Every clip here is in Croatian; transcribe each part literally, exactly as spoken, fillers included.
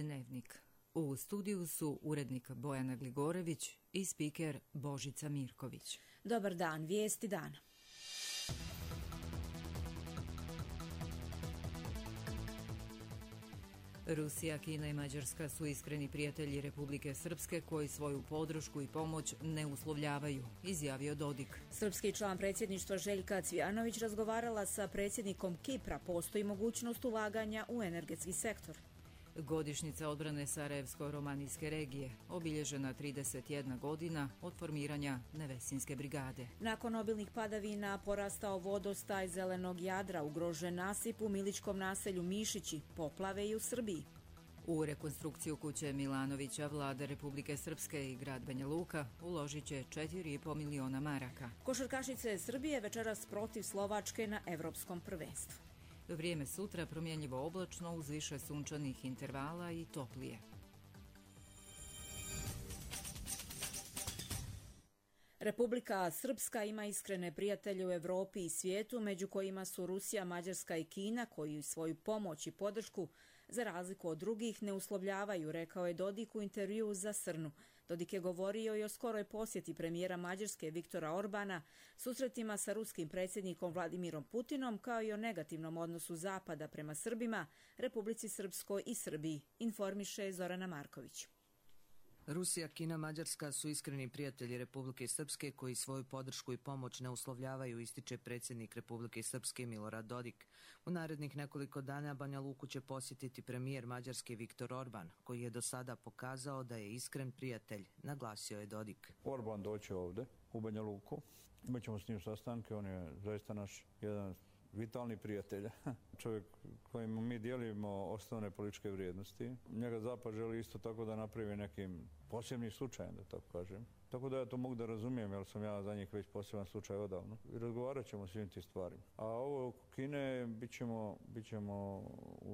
Dnevnik. U studiju su urednik Bojana Gligorević i spiker Božica Mirković. Dobar dan, vijesti dana. Rusija, Kina i Mađarska su iskreni prijatelji Republike Srpske koji svoju podršku i pomoć ne uslovljavaju, izjavio Dodik. Srpski član predsjedništva Željka Cvijanović razgovarala sa predsjednikom Kipra. Postoji mogućnost ulaganja u energetski sektor. Godišnjica odbrane Sarajevsko-romanijske regije, obilježena trideset jedna godina od formiranja Nevesinske brigade. Nakon obilnih padavina porastao vodostaj Zelenog Jadra, ugrožen nasip u miličkom naselju Mišići, poplave i u Srbiji. U rekonstrukciju kuće Milanovića vlada Republike Srpske i grad Banja Luka uložit će četiri i po miliona maraka. Košarkašice Srbije večeras protiv Slovačke na evropskom prvenstvu. Vrijeme sutra promjenljivo oblačno uz više sunčanih intervala i toplije. Republika Srpska ima iskrene prijatelje u Evropi i svijetu, među kojima su Rusija, Mađarska i Kina, koji svoju pomoć i podršku, za razliku od drugih, ne uslovljavaju, rekao je Dodik u intervjuu za Srnu. Dodik je govorio i o skoroj posjeti premijera Mađarske Viktora Orbana, susretima sa ruskim predsjednikom Vladimirom Putinom, kao i o negativnom odnosu Zapada prema Srbima, Republici Srpskoj i Srbiji, informiše Zorana Marković. Rusija, Kina, Mađarska su iskreni prijatelji Republike Srpske koji svoju podršku i pomoć ne uslovljavaju, ističe predsjednik Republike Srpske Milorad Dodik. U narednih nekoliko dana Banja Luku će posjetiti premijer Mađarske Viktor Orban, koji je do sada pokazao da je iskren prijatelj, naglasio je Dodik. Orban doće ovde u Banja Luku, imat ćemo s njim sastanke, on je zaista naš jedan vitalni prijatelj, čovjek kojim mi dijelimo osnovne političke vrijednosti. Njega Zapad želi isto tako da napravi nekim posebnim slučajem, da tako kažem. Tako da ja to mogu da razumijem, jer sam ja za njih već poseban slučaj odavno. I razgovarat ćemo o svim tim stvarima. A ovo oko Kine bit ćemo, bit ćemo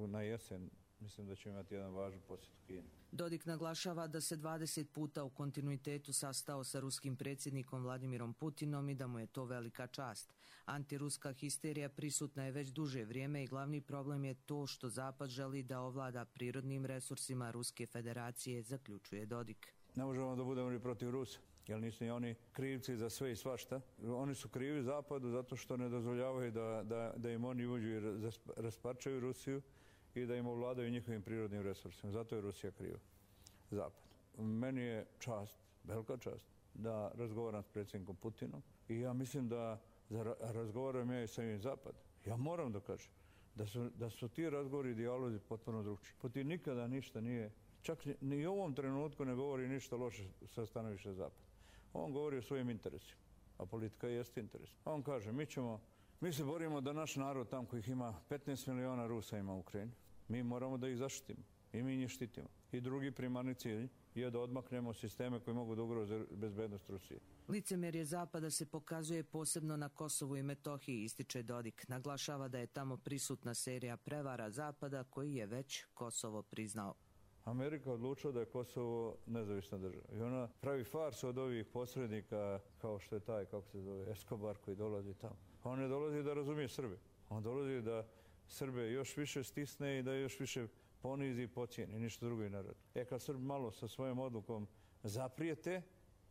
na jesen. Mislim da će imati jedan važan posjet u Kini. Dodik naglašava da se dvadeset puta u kontinuitetu sastao sa ruskim predsjednikom Vladimirom Putinom i da mu je to velika čast. Antiruska histerija prisutna je već duže vrijeme i glavni problem je to što Zapad želi da ovlada prirodnim resursima Ruske federacije, zaključuje Dodik. Ne možemo da budemo ni protiv Rusa, jer nisu ni oni krivci za sve i svašta. Oni su krivi Zapadu zato što ne dozvoljavaju da, da, da im oni uđu i rasparčaju Rusiju i da im ovladaju njihovim prirodnim resursima. Zato je Rusija kriva. Zapad. Meni je čast, velika čast, da razgovaram s predsjednikom Putinom i ja mislim da razgovaram ja i sa ovim Zapad. Ja moram da kažem da su, da su ti razgovori i dijalozi potpuno drugčiji. Putin nikada ništa nije, čak ni u ovom trenutku ne govori ništa loše sa stanovišta Zapad. On govori o svojim interesima, a politika jeste interes. On kaže, mi ćemo Mi se borimo da naš narod, tam kojih ima petnaest miliona Rusa ima u Ukrajini, mi moramo da ih zaštitimo i mi njih štitimo. I drugi primarni cilj je da odmaknemo sisteme koji mogu da ugroze bezbednost Rusije. Licemerje Zapada se pokazuje posebno na Kosovu i Metohiji, ističe Dodik. Naglašava da je tamo prisutna serija prevara Zapada koji je već Kosovo priznao. Amerika odlučila da je Kosovo nezavisna država. I ona pravi farsu od ovih posrednika kao što je taj, kako se zove, Escobar koji dolazi tamo. On ne dolazi da razumije Srbe. On dolazi da Srbe još više stisne i da još više ponizi i pocijeni. Ništa drugo i ne radi. E kad Srb malo sa svojom odlukom zaprijete,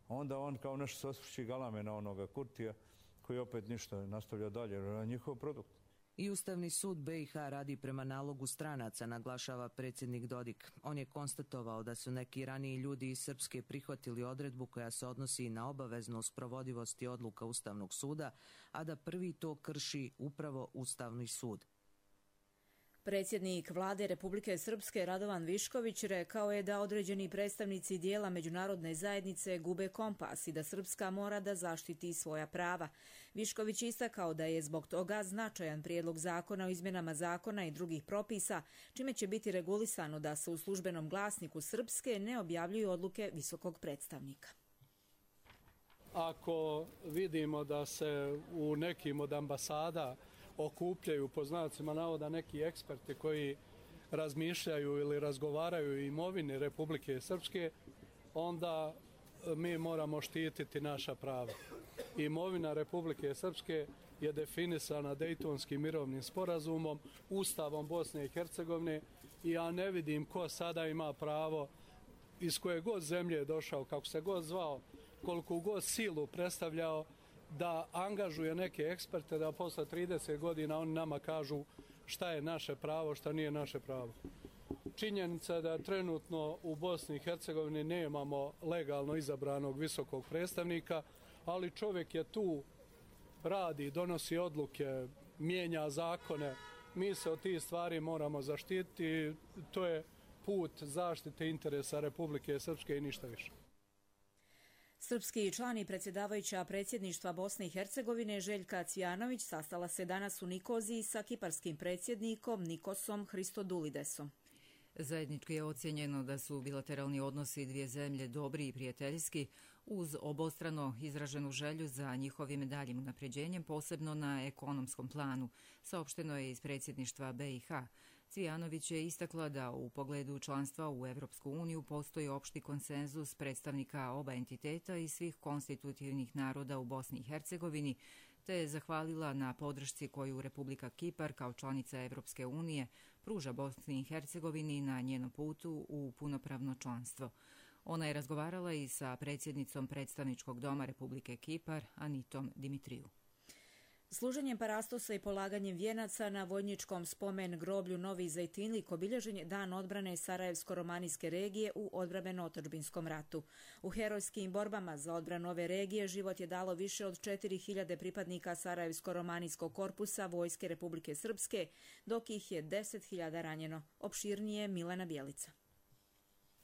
onda on kao nešto se osvrći galame na onoga Kurtija koji opet ništa nastavlja dalje. Na njihov produkt. I Ustavni sud be i ha radi prema nalogu stranaca, naglašava predsjednik Dodik. On je konstatovao da su neki raniji ljudi iz Srpske prihvatili odredbu koja se odnosi na obaveznu sprovodivost i odluka Ustavnog suda, a da prvi to krši upravo Ustavni sud. Predsjednik vlade Republike Srpske Radovan Višković rekao je da određeni predstavnici dijela međunarodne zajednice gube kompas i da Srpska mora da zaštiti svoja prava. Višković istakao da je zbog toga značajan prijedlog zakona o izmjenama zakona i drugih propisa, čime će biti regulisano da se u službenom glasniku Srpske ne objavljuju odluke visokog predstavnika. Ako vidimo da se u nekim od ambasada okupljaju po znacima navoda neki eksperti koji razmišljaju ili razgovaraju o imovini Republike Srpske, onda mi moramo štititi naša prava. Imovina Republike Srpske je definisana Dejtonskim mirovnim sporazumom, Ustavom Bosne i Hercegovine i ja ne vidim ko sada ima pravo iz koje god zemlje je došao, kako se god zvao, koliko god silu predstavljao, da angažuje neke eksperte da posle trideset godina oni nama kažu šta je naše pravo, šta nije naše pravo. Činjenica je da trenutno u Bosni i Hercegovini nemamo legalno izabranog visokog predstavnika, ali čovjek je tu, radi, donosi odluke, mijenja zakone. Mi se od tih stvari moramo zaštititi. To je put zaštite interesa Republike Srpske i ništa više. Srpski član i predsjedavajuća predsjedništva Bosne i Hercegovine Željka Cvijanović sastala se danas u Nikoziji sa kiparskim predsjednikom Nikosom Hristodulidesom. Zajednički je ocjenjeno da su bilateralni odnosi dvije zemlje dobri i prijateljski, uz obostrano izraženu želju za njihovim daljim unapređenjem, posebno na ekonomskom planu, saopšteno je iz predsjedništva B i H. Cvijanović je istakla da u pogledu članstva u Evropsku uniju postoji opšti konsenzus predstavnika oba entiteta i svih konstitutivnih naroda u Bosni i Hercegovini, te je zahvalila na podršci koju Republika Kipar kao članica Evropske unije pruža Bosni i Hercegovini na njenom putu u punopravno članstvo. Ona je razgovarala i sa predsjednicom predstavničkog doma Republike Kipar, Anitom Dimitriju. Služenjem parastosa i polaganjem vijenaca na vojničkom spomen groblju Novi Zejtinlik obilježen je Dan odbrane Sarajevsko-romanijske regije u odbrambeno-otadžbinskom ratu. U herojskim borbama za odbranu ove regije život je dalo više od četiri hiljade pripadnika Sarajevsko-romanijskog korpusa Vojske Republike Srpske, dok ih je deset hiljada ranjeno. Opširnije Milena Bjelica.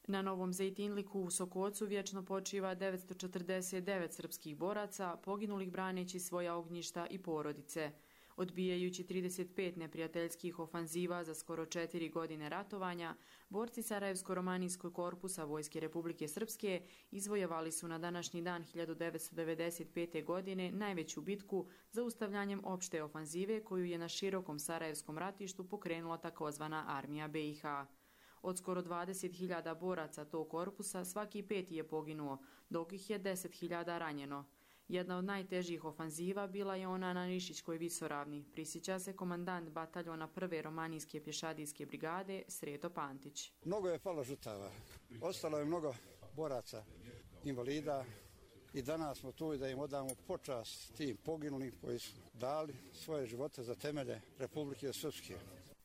Na Novom Zejtinliku u Sokocu vječno počiva devetsto četrdeset devet srpskih boraca, poginulih braneći svoja ognjišta i porodice. Odbijajući trideset pet neprijateljskih ofanziva za skoro četiri godine ratovanja, borci Sarajevsko-romanijskog korpusa Vojske Republike Srpske izvojevali su na današnji dan hiljadu devetsto devedeset pete. godine najveću bitku zaustavljanjem opšte ofanzive koju je na širokom Sarajevskom ratištu pokrenula takozvana armija B i H. Od skoro dvadeset hiljada boraca tog korpusa svaki peti je poginuo, dok ih je deset hiljada ranjeno. Jedna od najtežih ofanziva bila je ona na Nišićkoj visoravni, prisjeća se komandant bataljona prve romanijske pješadijske brigade Sreto Pantić. Mnogo je palo žrtava, ostalo je mnogo boraca, invalida i danas smo tu da im odamo počast tim poginulim koji su dali svoje živote za temelje Republike Srpske.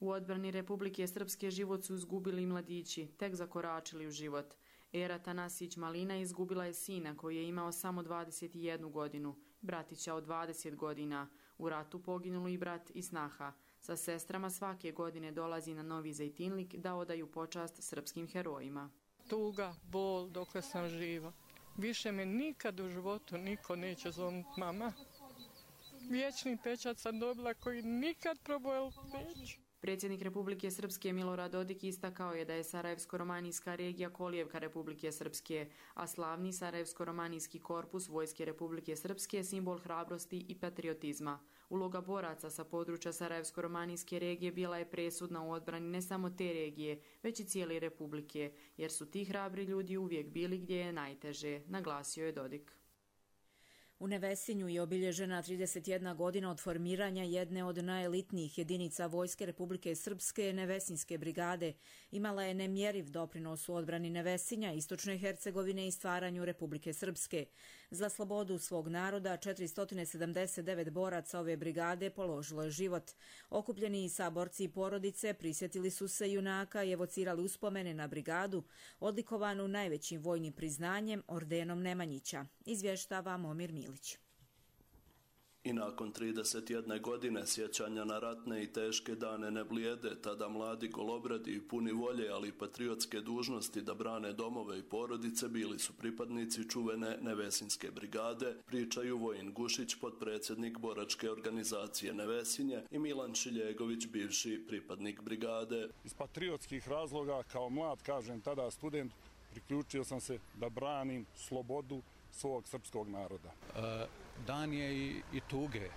U odbrani Republike Srpske život su izgubili mladići, tek zakoračili u život. Era Tanasić Malina izgubila je sina koji je imao samo dvadeset jednu godinu, bratića od dvadeset godina. U ratu poginuli i brat i snaha. Sa sestrama svake godine dolazi na Novi Zejtinlik da odaju počast srpskim herojima. Tuga, bol dokle sam živa. Više me nikad u životu niko neće zovnuti mama. Vječni pečat sam dobila koji nikad probojel neću. Predsjednik Republike Srpske Milorad Dodik istakao je da je Sarajevsko-romanijska regija kolijevka Republike Srpske, a slavni Sarajevsko-romanijski korpus Vojske Republike Srpske simbol hrabrosti i patriotizma. Uloga boraca sa područja Sarajevsko-romanijske regije bila je presudna u odbrani ne samo te regije, već i cijele Republike, jer su ti hrabri ljudi uvijek bili gdje je najteže, naglasio je Dodik. U Nevesinju je obilježena trideset jedna godina od formiranja jedne od najelitnijih jedinica Vojske Republike Srpske, Nevesinske brigade. Imala je nemjeriv doprinos u odbrani Nevesinja, Istočne Hercegovine i stvaranju Republike Srpske. Za slobodu svog naroda četiristo sedamdeset devet boraca ove brigade položilo je život. Okupljeni saborci i porodice prisjetili su se junaka i evocirali uspomene na brigadu, odlikovanu najvećim vojnim priznanjem, ordenom Nemanjića. Izvještava Momir Milić. I nakon trideset jedne godine sjećanja na ratne i teške dane ne blijede, tada mladi golobradi i puni volje, ali i patriotske dužnosti da brane domove i porodice bili su pripadnici čuvene Nevesinske brigade, pričaju Vojin Gušić, potpredsjednik boračke organizacije Nevesinje, i Milan Šiljegović, bivši pripadnik brigade. Iz patriotskih razloga, kao mlad, kažem tada student, priključio sam se da branim slobodu svog srpskog naroda. E, dan je i, i tuge,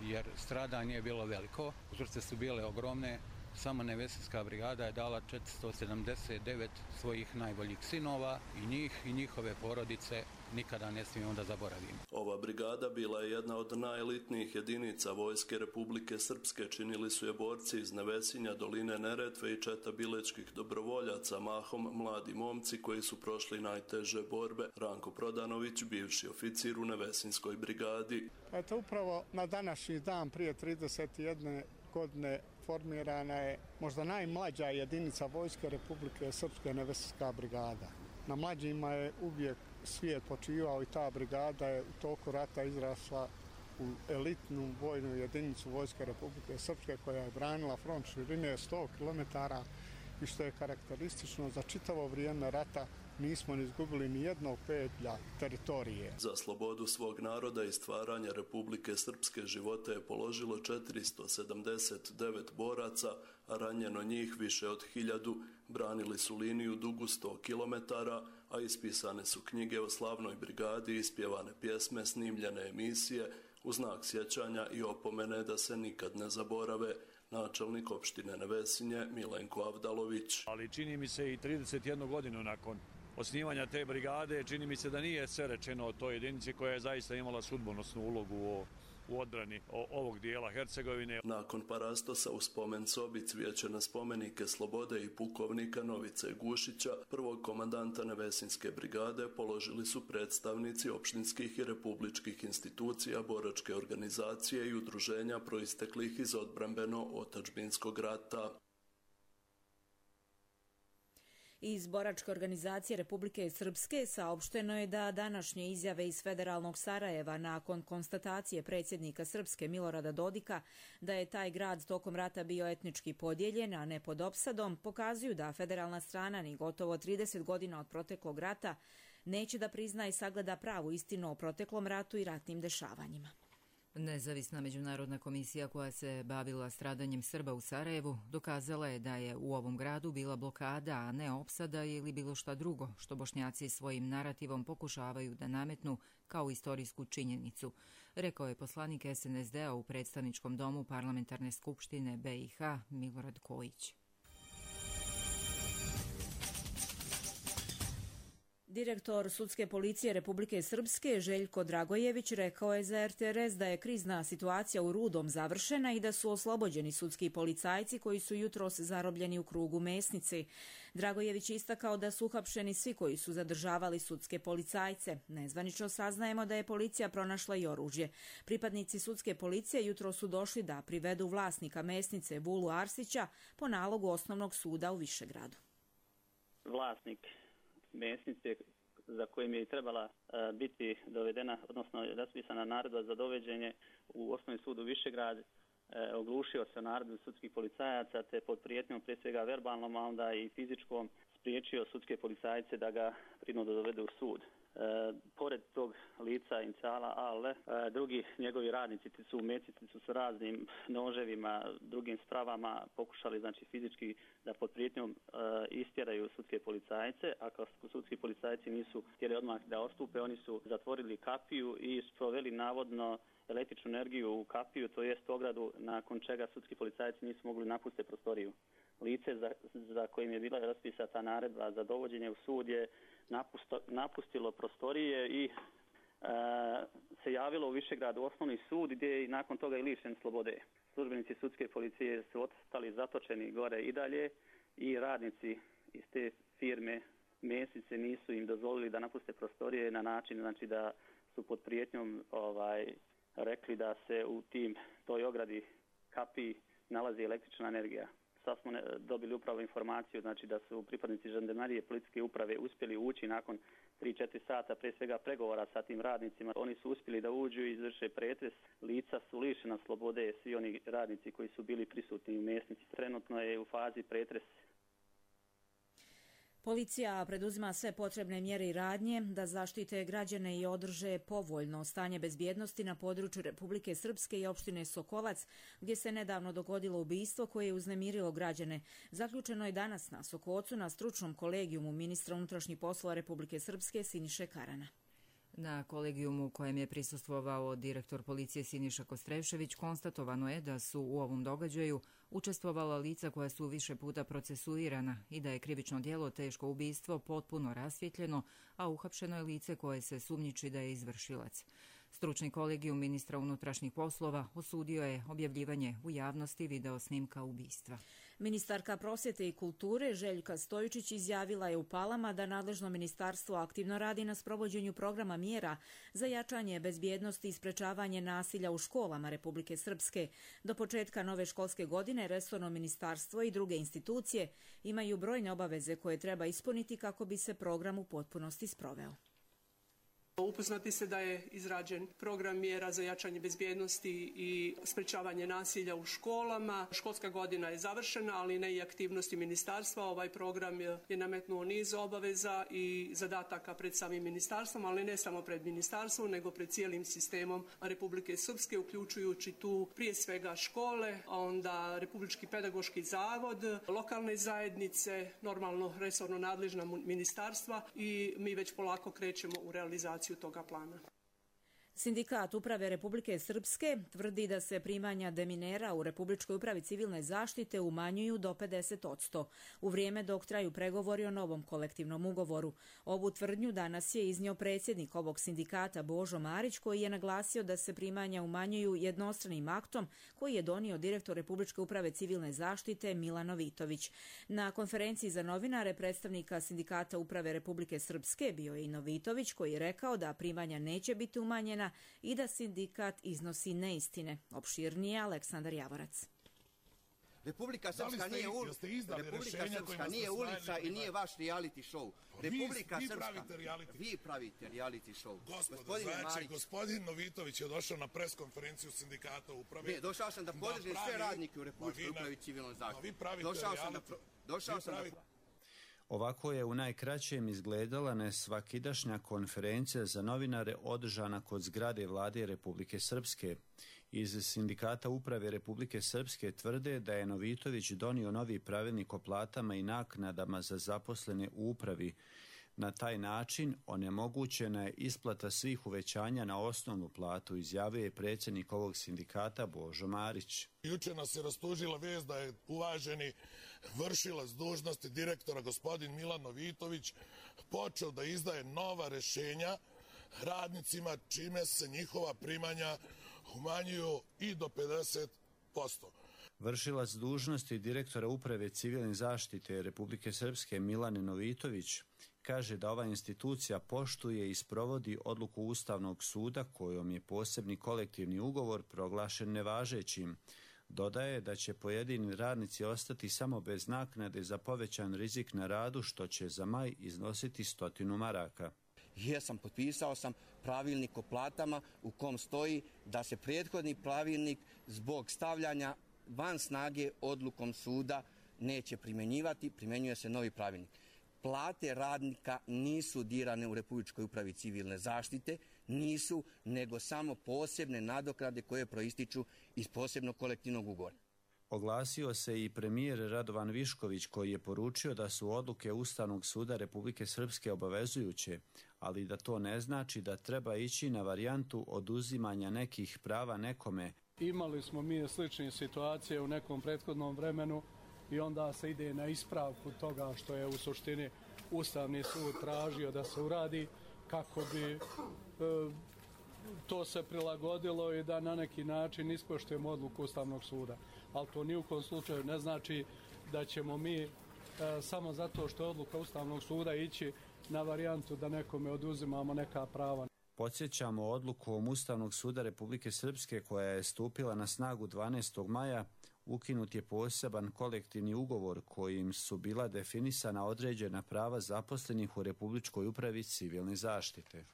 jer stradanje je bilo veliko, žrtve su bile ogromne, Samo Nevesinska brigada je dala četiristo sedamdeset devet svojih najboljih sinova i njih i njihove porodice nikada ne smijemo da zaboravimo. Ova brigada bila je jedna od najelitnijih jedinica Vojske Republike Srpske. Činili su je borci iz Nevesinja, doline Neretve i četa bilečkih dobrovoljaca, mahom mladi momci koji su prošli najteže borbe. Ranko Prodanović, bivši oficir u Nevesinskoj brigadi. Eto, upravo na današnji dan prije trideset jedne godine formirana je možda najmlađa jedinica Vojske Republike Srpske, Nevesinska brigada. Na mlađima je uvijek svijet počivao i ta brigada je u toku rata izrasla u elitnu vojnu jedinicu Vojske Republike Srpske koja je branila front širine sto kilometara i što je karakteristično za čitavo vrijeme rata nismo ni izgubili ni jednog pedlja teritorije. Za slobodu svog naroda i stvaranje Republike Srpske živote je položilo četiristo sedamdeset devet boraca, a ranjeno njih više od hiljadu. Branili su liniju dugu sto kilometara, a ispisane su knjige o slavnoj brigadi, ispjevane pjesme, snimljene emisije, u znak sjećanja i opomene da se nikad ne zaborave. Načelnik opštine Nevesinje Milenko Avdalović. Ali čini mi se i trideset jednu godinu nakon osnivanja te brigade, čini mi se da nije sve rečeno o toj jedinici koja je zaista imala sudbonosnu ulogu u, u odbrani ovog dijela Hercegovine. Nakon parastosa u spomen sobi cvijeće na spomenike slobode i pukovnika Novice Gušića, prvog komandanta Nevesinske brigade, položili su predstavnici opštinskih i republičkih institucija, boračke organizacije i udruženja proisteklih iz odbrambeno-otadžbinskog rata. Iz boračke organizacije Republike Srpske saopšteno je da današnje izjave iz federalnog Sarajeva nakon konstatacije predsjednika Srpske Milorada Dodika da je taj grad tokom rata bio etnički podijeljen, a ne pod opsadom, pokazuju da federalna strana ni gotovo trideset godina od proteklog rata neće da prizna i sagleda pravu istinu o proteklom ratu i ratnim dešavanjima. Nezavisna međunarodna komisija koja se bavila stradanjem Srba u Sarajevu dokazala je da je u ovom gradu bila blokada, a ne opsada ili bilo šta drugo, što Bošnjaci svojim narativom pokušavaju da nametnu kao istorijsku činjenicu, rekao je poslanik es en es de-a u predstavničkom domu Parlamentarne skupštine be i ha Milorad Kojić. Direktor Sudske policije Republike Srpske Željko Dragojević rekao je za er te er es da je krizna situacija u Rudom završena i da su oslobođeni sudski policajci koji su jutros zarobljeni u krugu Mesnice. Dragojević istakao da su uhapšeni svi koji su zadržavali sudske policajce. Nezvanično saznajemo da je policija pronašla i oružje. Pripadnici sudske policije jutros su došli da privedu vlasnika Mesnice Vulu Arsića po nalogu Osnovnog suda u Višegradu. Vlasnik Mesnice, za kojim je i trebala uh, biti dovedena, odnosno raspisana naredba za doveđenje u Osnovni sud u Višegrad, uh, oglušio se naredbu sudskih policajaca, te pod prijetnjom, prije svega verbalnom, a onda i fizičkom, spriječio sudske policajce da ga prinude dovede u sud. E, pored tog lica inicijala A L, e, drugi njegovi radnici su u Mesnici su s raznim noževima, drugim spravama pokušali, znači, fizički da pod prijetnjom e, istjeraju sudske policajce, a kao sudski policajci nisu htjeli odmah da ostupe, oni su zatvorili kapiju i sproveli navodno električnu energiju u kapiju, to jest ogradu, nakon čega sudski policajci nisu mogli napustiti prostoriju. Lice za, za kojim je bila raspisana ta naredba za dovođenje u sud je napusto, napustilo prostorije i e, se javilo u Višegradu Osnovni sud gdje je nakon toga i lišen slobode. Službenici sudske policije su ostali zatočeni gore i dalje i radnici iz te firme Mesnice nisu im dozvolili da napuste prostorije na način, znači, da su pod prijetnjom ovaj, rekli da se u tim toj ogradi kapiji nalazi električna energija. Sad smo dobili upravo informaciju, znači, da su pripadnici žandarmerije policijske uprave uspjeli ući nakon tri četiri sata, prije svega pregovora sa tim radnicima. Oni su uspjeli da uđu i izvrše pretres. Lica su lišena slobode, svi oni radnici koji su bili prisutni u Mesnici. Trenutno je u fazi pretres. Policija preduzima sve potrebne mjere i radnje da zaštite građane i održe povoljno stanje bezbjednosti na području Republike Srpske i opštine Sokolac, gdje se nedavno dogodilo ubistvo koje je uznemirilo građane. Zaključeno je danas na Sokocu na stručnom kolegijumu ministra unutrašnjih poslova Republike Srpske Siniše Karana. Na kolegijumu kojem je prisustvovao direktor policije Siniša Kostrešević konstatovano je da su u ovom događaju učestvovala lica koja su više puta procesuirana i da je krivično djelo teško ubistvo potpuno rasvjetljeno, a uhapšeno je lice koje se sumnjiči da je izvršilac. Stručni kolegijum ministra unutrašnjih poslova osudio je objavljivanje u javnosti video snimka ubistva. Ministarka prosvjete i kulture Željka Stojičić izjavila je u Palama da nadležno ministarstvo aktivno radi na sprovođenju programa mjera za jačanje bezbjednosti i sprečavanje nasilja u školama Republike Srpske. Do početka nove školske godine resorno ministarstvo i druge institucije imaju brojne obaveze koje treba ispuniti kako bi se program u potpunosti sproveo. Upoznati se da je izrađen program mjera za jačanje bezbjednosti i sprečavanje nasilja u školama. Školska godina je završena, ali ne i aktivnosti ministarstva. Ovaj program je nametnuo niz obaveza i zadataka pred samim ministarstvom, ali ne samo pred ministarstvom, nego pred cijelim sistemom Republike Srpske, uključujući tu prije svega škole, a onda Republički pedagoški zavod, lokalne zajednice, normalno resorno nadležna ministarstva i mi već polako krećemo u realizaciju toga plana. Sindikat Uprave Republike Srpske tvrdi da se primanja deminera u Republičkoj upravi civilne zaštite umanjuju do pedeset posto u vrijeme dok traju pregovori o novom kolektivnom ugovoru. Ovu tvrdnju danas je iznio predsjednik ovog sindikata Božo Marić, koji je naglasio da se primanja umanjuju jednostranim aktom koji je donio direktor Republičke uprave civilne zaštite Milan Novitović. Na konferenciji za novinare predstavnika Sindikata Uprave Republike Srpske bio je i Novitović, koji je rekao da primanja neće biti umanjena i da sindikat iznosi neistine. Opširnije Aleksandar Javorac. Republika Srpska nije, ul... Republika Srpska nije ulica i nije vaš reality show. Republika vi, vi Srpska, pravite reality. vi pravite reality show. Gospodo, znači, Marić, gospodin Novitović je došao na pres konferenciju sindikata uprave. Ne, došao sam da podržim sve radnike u Republičkoj upravi civilnoj zaštiti. Vi pravite došao reality. Sam da, došao vi sam pravite... da... Ovako je u najkraćem izgledala nesvakidašnja konferencija za novinare održana kod zgrade Vlade Republike Srpske. Iz Sindikata Uprave Republike Srpske tvrde da je Novitović donio novi pravilnik o platama i naknadama za zaposlene u upravi. Na taj način onemogućena je isplata svih uvećanja na osnovnu platu, izjavio je predsjednik ovog sindikata Božo Marić. Juče nas je rastužila vijest da je uvaženi vršilac dužnosti direktora gospodin Milan Novitović počeo da izdaje nova rješenja radnicima, čime se njihova primanja umanjuju i do pedeset posto. Vršilac dužnosti direktora Uprave civilne zaštite Republike Srpske Milan Novitović kaže da ova institucija poštuje i sprovodi odluku Ustavnog suda kojom je posebni kolektivni ugovor proglašen nevažećim. Dodaje da će pojedini radnici ostati samo bez naknade za povećan rizik na radu, što će za maj iznositi stotinu maraka. Jesam, potpisao sam pravilnik o platama u kom stoji da se prethodni pravilnik zbog stavljanja van snage odlukom suda neće primjenjivati, primjenjuje se novi pravilnik. Plate radnika nisu dirane u Republičkoj upravi civilne zaštite, nisu, nego samo posebne nadoknade koje proističu iz posebnog kolektivnog ugovora. Oglasio se i premijer Radovan Višković, koji je poručio da su odluke Ustavnog suda Republike Srpske obavezujuće, ali da to ne znači da treba ići na varijantu oduzimanja nekih prava nekome. Imali smo mi slične situacije u nekom prethodnom vremenu i onda se ide na ispravku toga što je u suštini Ustavni sud tražio da se uradi kako bi e, to se prilagodilo i da na neki način ispoštujemo odluku Ustavnog suda. Ali to ni u kom slučaju ne znači da ćemo mi e, samo zato što je odluka Ustavnog suda ići na varijantu da nekome oduzimamo neka prava. Podsjećamo odlukom Ustavnog suda Republike Srpske koja je stupila na snagu dvanaestog maja, ukinut je poseban kolektivni ugovor kojim su bila definisana određena prava zaposlenih u Republičkoj upravi civilne zaštite.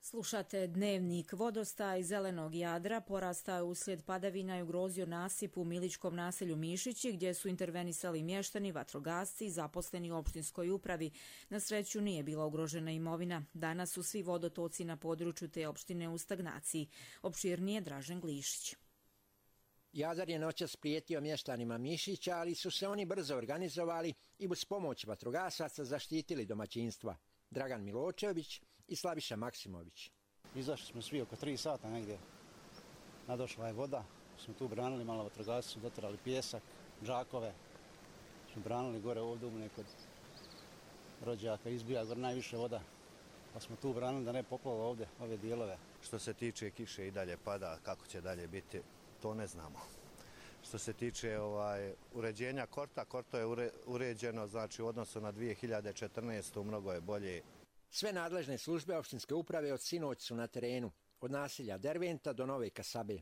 Slušate dnevnik. Vodostaj zelenog Jadra porastao je uslijed padavina i ugrozio nasip u Milićkom naselju Mišići, gdje su intervenisali mještani, vatrogasci i zaposleni u opštinskoj upravi. Na sreću nije bila ugrožena imovina. Danas su svi vodotoci na području te opštine u stagnaciji. Opširnije Dražen Glišić. Jadar je noćas prijetio mještanima Mišića, ali su se oni brzo organizovali i uz pomoć vatrogasaca zaštitili domaćinstva. Dragan Miločević i Slaviša Maksimović. Izašli smo svi oko tri sata negdje. Nadošla je voda, smo tu branili, malo vatrogasci su doterali pijesak, džakove. Smo branili gore ovdje umne kod rođaka, izbija gore najviše voda. Pa smo tu branili da ne poplava ovdje ove dijelove. Što se tiče kiše i dalje pada, kako će dalje biti, to ne znamo. Što se tiče ovaj, uređenja korta, korto je ure, uređeno, znači u odnosu na dvije hiljade četrnaestu mnogo je bolje. Sve nadležne službe opštinske uprave od sinoć su na terenu, od naselja Derventa do Nove Kasabe.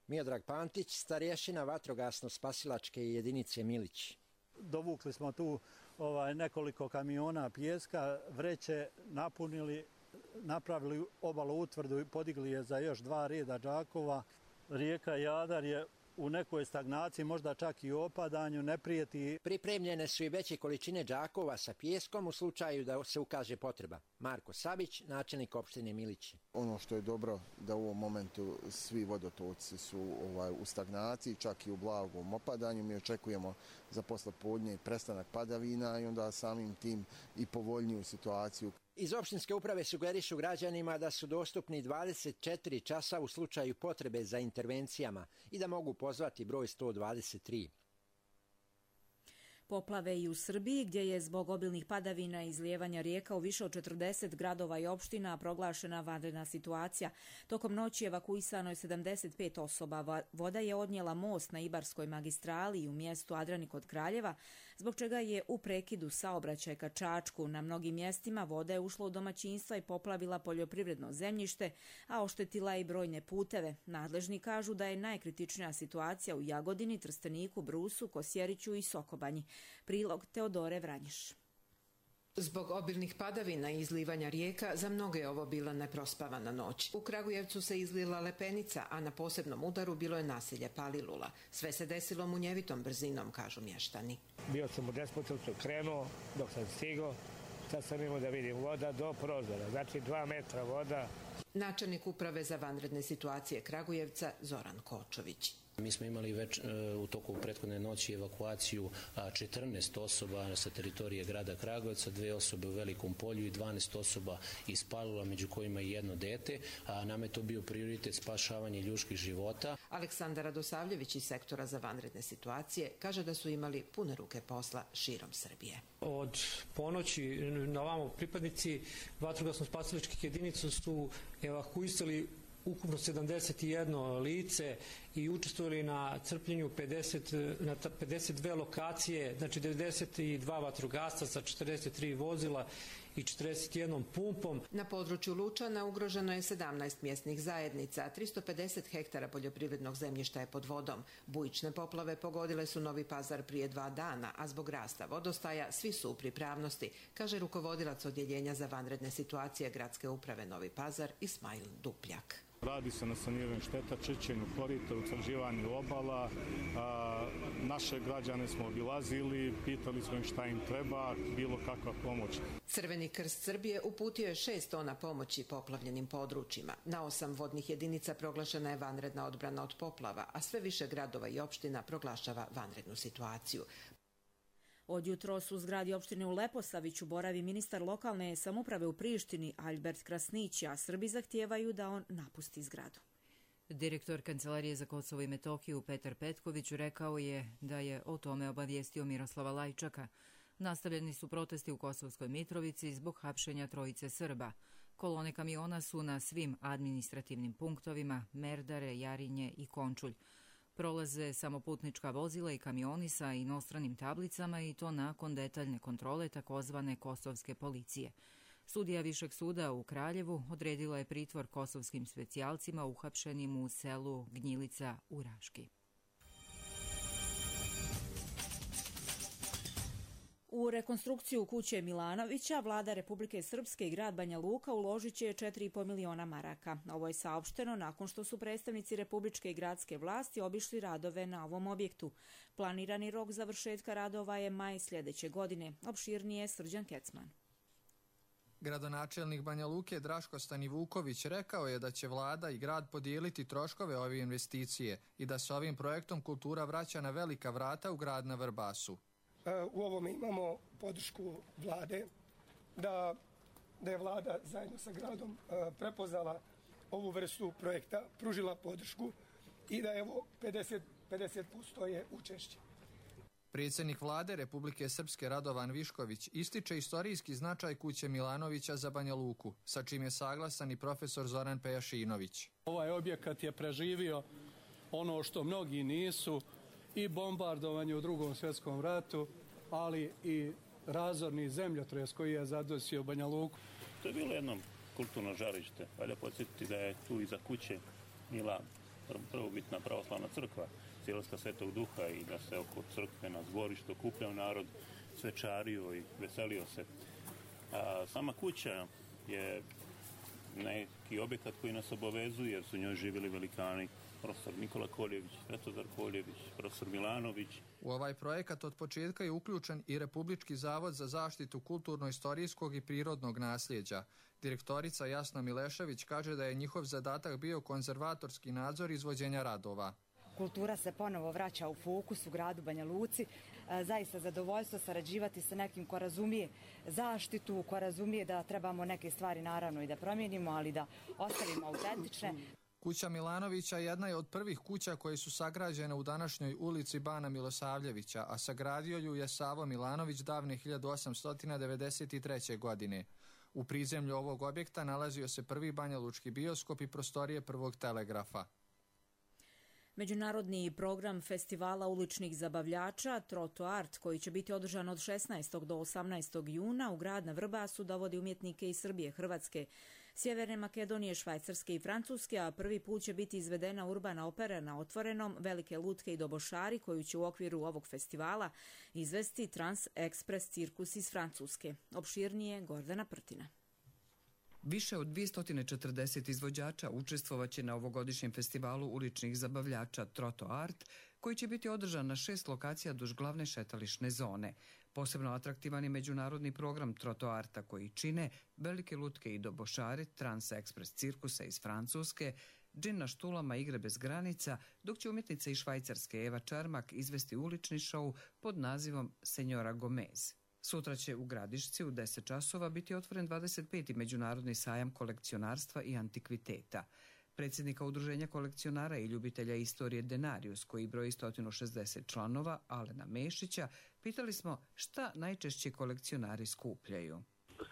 Miodrag Pantić, starješina vatrogasno-spasilačke jedinice Milić. Dovukli smo tu ovaj, nekoliko kamiona pijeska, vreće napunili, napravili obalu utvrdu i podigli je za još dva reda džakova. Rijeka Jadar je u nekoj stagnaciji, možda čak i u opadanju, ne prijeti. Pripremljene su i veće količine džakova sa pijeskom u slučaju da se ukaže potreba. Marko Savić, načelnik opštine Milići. Ono što je dobro da u ovom momentu svi vodotoci su ovaj, u stagnaciji, čak i u blagom opadanju. Mi očekujemo za poslepodne prestanak padavina i onda samim tim i povoljniju situaciju. Iz opštinske uprave sugerišu građanima da su dostupni dvadeset četiri časa u slučaju potrebe za intervencijama i da mogu pozvati broj sto dvadeset tri. Poplave i u Srbiji, gdje je zbog obilnih padavina i izlijevanja rijeka u više od četrdeset gradova i opština proglašena vanredna situacija. Tokom noći evakuisano je sedamdeset pet osoba. Voda je odnijela most na Ibarskoj magistrali i u mjestu Adrani kod Kraljeva, zbog čega je u prekidu saobraćaj ka Čačku. Na mnogim mjestima voda je ušla u domaćinstva i poplavila poljoprivredno zemljište, a oštetila i brojne puteve. Nadležni kažu da je najkritičnija situacija u Jagodini, Trsteniku, Brusu, Kosjeriću i Sokobanji. Prilog Teodore Vranješ. Zbog obilnih padavina i izlivanja rijeka za mnoge je ovo bila neprospavana noć. U Kragujevcu se izlila lepenica, a na posebnom udaru bilo je naselje Palilula. Sve se desilo munjevitom brzinom, kažu mještani. Bio sam u Despotovcu, krenuo dok sam stigao, sad sam imao da vidim voda do prozora, znači dva metra voda. Načelnik uprave za vanredne situacije Kragujevca Zoran Kočović. Mi smo imali već u toku prethodne noći evakuaciju četrnaest osoba sa teritorije grada Kragujevca, dve osobe u Velikom Polju i dvanaest osoba iz Palilula, među kojima i jedno dete. A nam je to bio prioritet spašavanje ljudskih života. Aleksandar Radosavljević iz sektora za vanredne situacije kaže da su imali pune ruke posla širom Srbije. Od ponoći na ovamo pripadnici vatrogasno-spasilačkih jedinica su evakuisali ukupno sedamdeset jedno lice i učestvovali na crpljenju pedeset, na pedeset dve lokacije, znači devedeset dva vatrogasca sa četrdeset tri vozila i četrdeset jednom pumpom. Na području Lučana ugroženo je sedamnaest mjesnih zajednica, a tristo pedeset hektara poljoprivrednog zemljišta je pod vodom. Bujične poplave pogodile su Novi Pazar prije dva dana, a zbog rasta vodostaja svi su u pripravnosti, kaže rukovodilac odjeljenja za vanredne situacije Gradske uprave Novi Pazar Ismail Dupljak. Radi se na saniranju šteta, čišćenju korita, utvrđivanju obala. A, naše građane smo obilazili, pitali smo im šta im treba, bilo kakva pomoć. Crveni krst Srbije uputio je šest tona pomoći poplavljenim područjima. Na osam vodnih jedinica proglašena je vanredna odbrana od poplava, a sve više gradova i opština proglašava vanrednu situaciju. Od jutros u zgradi opštine u Leposaviću boravi ministar lokalne samouprave u Prištini Albert Krasnić, a Srbi zahtijevaju da on napusti zgradu. Direktor Kancelarije za Kosovo i Metohiju Petar Petković rekao je da je o tome obavijestio Miroslava Lajčaka. Nastavljeni su protesti u Kosovskoj Mitrovici zbog hapšenja trojice Srba. Kolone kamiona su na svim administrativnim punktovima Merdare, Jarinje i Končulj. Prolaze samo putnička vozila i kamioni sa inostranim tablicama i to nakon detaljne kontrole takozvane kosovske policije. Sudija Višeg suda u Kraljevu odredila je pritvor kosovskim specijalcima uhapšenim u selu Gnjilica u Raški. U rekonstrukciju kuće Milanovića vlada Republike Srpske i grad Banja Luka uložit će četiri i po miliona maraka. Ovo je saopšteno nakon što su predstavnici republičke i gradske vlasti obišli radove na ovom objektu. Planirani rok završetka radova je maj sljedeće godine. Opširnije Srđan Kecman. Gradonačelnik Banja Luke Draško Stanivuković rekao je da će vlada i grad podijeliti troškove ove investicije i da se ovim projektom kultura vraća na velika vrata u grad na Vrbasu. U ovome imamo podršku vlade da da je vlada zajedno sa gradom prepoznala ovu vrstu projekta, pružila podršku i da evo pedeset posto je učešće. Predsjednik vlade Republike Srpske Radovan Višković ističe istorijski značaj kuće Milanovića za Banja Luku, sa čim je saglasan i profesor Zoran Pejašinović. Ovaj objekat je preživio ono što mnogi nisu, i bombardovanje u Drugom svjetskom ratu, ali i razorni zemljotres koji je zadesio Banja Luku. To je bilo jedno kulturno žarište. Valja podsjetiti da je tu iza kuće bila prvobitna pravoslavna crkva, Cijelska Svetog Duha, i da se oko crkve na zborištu okupljao narod, svečario i veselio se. A sama kuća je neki objekat koji nas obavezuje, jer su u njoj živjeli velikani, profesor Nikola Koljević, Svetozar Koljević, profesor Milanović. U ovaj projekat od početka je uključen i Republički zavod za zaštitu kulturno-istorijskog i prirodnog nasljeđa. Direktorica Jasna Milešević kaže da je njihov zadatak bio konzervatorski nadzor izvođenja radova. Kultura se ponovo vraća u fokus u gradu Banja Luci. Zaista zadovoljstvo sarađivati sa nekim ko razumije zaštitu, ko razumije da trebamo neke stvari naravno i da promijenimo, ali da ostavimo autentične. Kuća Milanovića jedna je od prvih kuća koje su sagrađene u današnjoj ulici Bana Milosavljevića, a sagradio ju je Savo Milanović davne hiljadu osamsto devedeset treće. godine. U prizemlju ovog objekta nalazio se prvi banjalučki bioskop i prostorije prvog telegrafa. Međunarodni program festivala uličnih zabavljača Troto Art, koji će biti održan od šesnaestog do osamnaestog juna u grad na Vrbasu, dovodi umjetnike iz Srbije, Hrvatske, Sjeverne Makedonije, Švajcarske i Francuske, a prvi put će biti izvedena urbana opera na otvorenom Velike lutke i dobošari, koju će u okviru ovog festivala izvesti Trans Express cirkus iz Francuske. Opširnije Gordana Prtina. Više od dvjesto četrdeset izvođača učestvovaće na ovogodišnjem festivalu uličnih zabavljača Troto Art, koji će biti održan na šest lokacija duž glavne šetališne zone. Posebno atraktivan je međunarodni program Troto Arta, koji čine Velike lutke i dobošari, Trans Express cirkusa iz Francuske, Džin na štulama, igre bez granica, dok će umjetnica iz Švajcarske Eva Čarmak izvesti ulični šou pod nazivom Senjora Gomez. Sutra će u Gradišci u deset časova biti otvoren dvadeset peti međunarodni sajam kolekcionarstva i antikviteta. Predsjednika Udruženja kolekcionara i ljubitelja istorije Denarius, koji broji sto šezdeset članova, Alena Mešića, pitali smo šta najčešće kolekcionari skupljaju.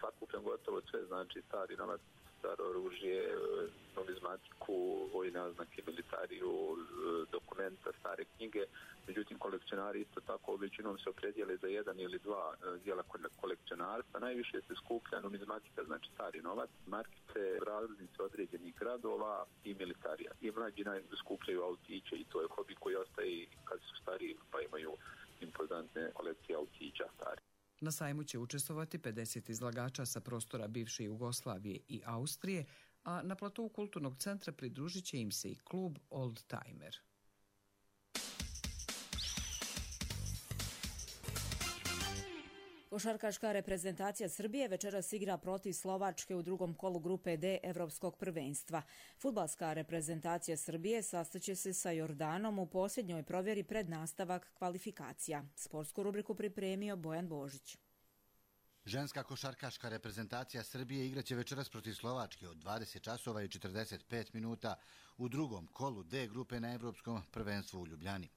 Sakupljam gotovo sve, znači stari novac, staro oružje, numizmatiku, vojne oznake, militariju, dokumenta, stare knjige. Međutim, kolekcionari isto tako većinom se opredijele za jedan ili dva dijela kolekcionarstva. Najviše se skuplja numizmatika, znači stari novac, markice, različnice određenih gradova i militarija. I mlađi najviše skupljaju autiće i to je hobi koji ostaje kad su stariji, pa imaju impozantne kolekcije autića stari. Na sajmu će učestvovati pedeset izlagača sa prostora bivše Jugoslavije i Austrije, a na platou kulturnog centra pridružit će im se i klub Old Timer. Košarkaška reprezentacija Srbije večeras igra protiv Slovačke u drugom kolu grupe D Evropskog prvenstva. Fudbalska reprezentacija Srbije sastaće se sa Jordanom u posljednjoj provjeri pred nastavak kvalifikacija. Sportsku rubriku pripremio Bojan Božić. Ženska košarkaška reprezentacija Srbije igraće večeras protiv Slovačke od dvadeset časova i četrdeset pet minuta u drugom kolu D grupe na Evropskom prvenstvu u Ljubljani.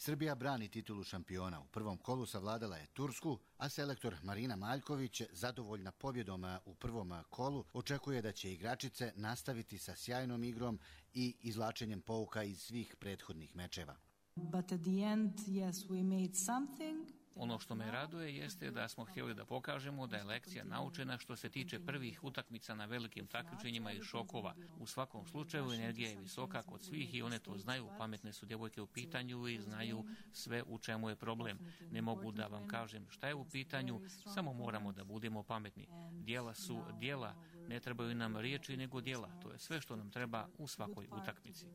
Srbija brani titulu šampiona. U prvom kolu savladala je Tursku, a selektor Marina Maljković, zadovoljna pobjedom u prvom kolu, očekuje da će igračice nastaviti sa sjajnom igrom i izvlačenjem pouka iz svih prethodnih mečeva. But at the end, yes, we made something. Ono što me raduje jeste da smo htjeli da pokažemo da je lekcija naučena što se tiče prvih utakmica na velikim takmičenjima i šokova. U svakom slučaju energija je visoka kod svih i one to znaju. Pametne su djevojke u pitanju i znaju sve u čemu je problem. Ne mogu da vam kažem šta je u pitanju, samo moramo da budemo pametni. Djela su djela, ne trebaju nam riječi nego djela. To je sve što nam treba u svakoj utakmici.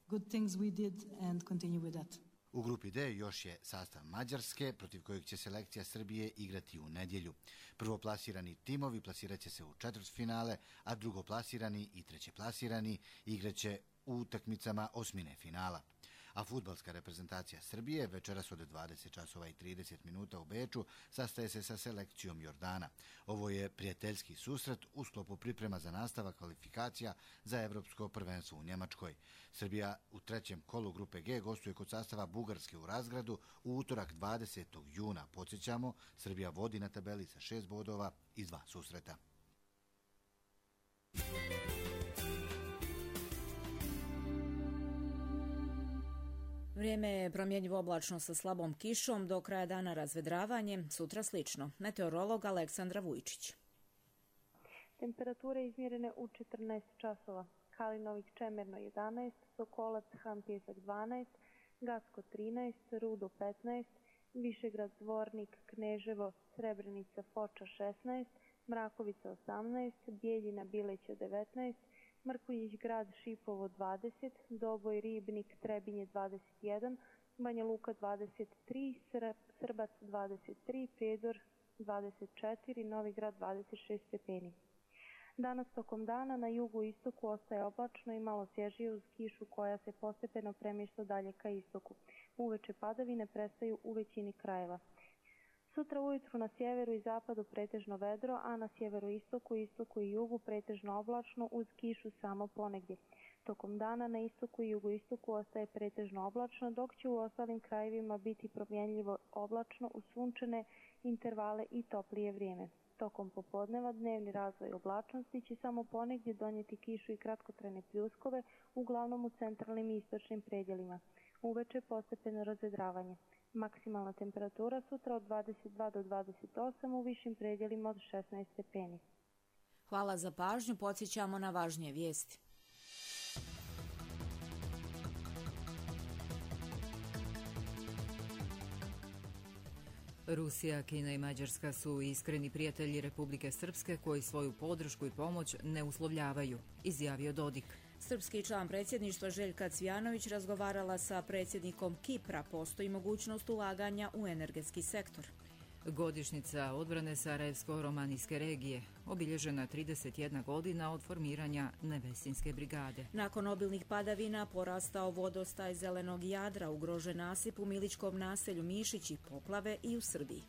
Good things we did and continue with that. U grupi D još je sastav Mađarske, protiv kojeg će selekcija Srbije igrati u nedjelju. Prvoplasirani timovi plasirat će se u četvrtfinale, a drugoplasirani i trećeplasirani igraće u utakmicama osmine finala. A fudbalska reprezentacija Srbije večeras od dvadeset časova i trideset minuta u Beču sastaje se sa selekcijom Jordana. Ovo je prijateljski susret u sklopu priprema za nastavak kvalifikacija za evropsko prvenstvo u Njemačkoj. Srbija u trećem kolu grupe G gostuje kod sastava Bugarske u Razgradu u utorak dvadesetog juna. Podsjećamo, Srbija vodi na tabeli sa šest bodova iz dva susreta. Vrijeme je promjenjivo oblačno sa slabom kišom, do kraja dana razvedravanje, sutra slično. Meteorolog Aleksandra Vujčić. Temperature izmjerene u četrnaest časova. Kalinovik Čemerno jedanaest, Sokolac Han Pjesak dvanaest, Gacko trinaest, Rudo petnaest, Višegrad Zvornik, Kneževo, Srebrenica Foča šesnaest, Mrakovica osamnaest, Bijeljina Bileća devetnaest, Mrkonjić Grad Šipovo dvadeset, Doboj Ribnik Trebinje dvadeset jedan, Banja Luka dvadeset tri, Srbac dvadeset tri, Prijedor dvadeset četiri, Novi Grad dvadeset šest stepeni. Danas tokom dana na jugu i istoku ostaje oblačno i malo svježije uz kišu koja se postepeno premješta dalje ka istoku. Uveče padavine prestaju u većini krajeva. Sutra ujutru na sjeveru i zapadu pretežno vedro, a na sjeveru istoku, istoku i jugu pretežno oblačno uz kišu samo ponegdje. Tokom dana na istoku i jugoistoku ostaje pretežno oblačno, dok će u ostalim krajevima biti promjenljivo oblačno uz sunčane intervale i toplije vrijeme. Tokom popodneva dnevni razvoj oblačnosti će samo ponegdje donijeti kišu i kratkotrajne pljuskove, uglavnom u centralnim i istočnim predjelima. Uveče postepeno razvedravanje. Maksimalna temperatura sutra od dvadeset dva do dvadeset osam, u višim predjelima od šesnaest stepeni. Hvala za pažnju, podsjećamo na važnije vijesti. Rusija, Kina i Mađarska su iskreni prijatelji Republike Srpske koji svoju podršku i pomoć ne uslovljavaju, izjavio Dodik. Srpski član predsjedništva Željka Cvijanović razgovarala sa predsjednikom Kipra. Postoji mogućnost ulaganja u energetski sektor. Godišnjica odbrane Sarajevsko-romanijske regije, obilježena trideset jedna godina od formiranja Nevesinske brigade. Nakon obilnih padavina porastao vodostaj Zelenog Jadra, ugrožen nasip u Miličkom naselju Mišići, poplave i u Srbiji.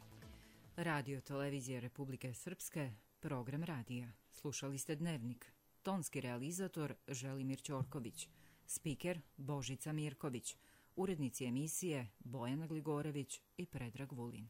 Radio Televizije Republike Srpske, program radija. Slušali ste Dnevnik. Tonski realizator Želimir Ćorković, spiker Božica Mirković, urednici emisije Bojana Gligorević i Predrag Vulin.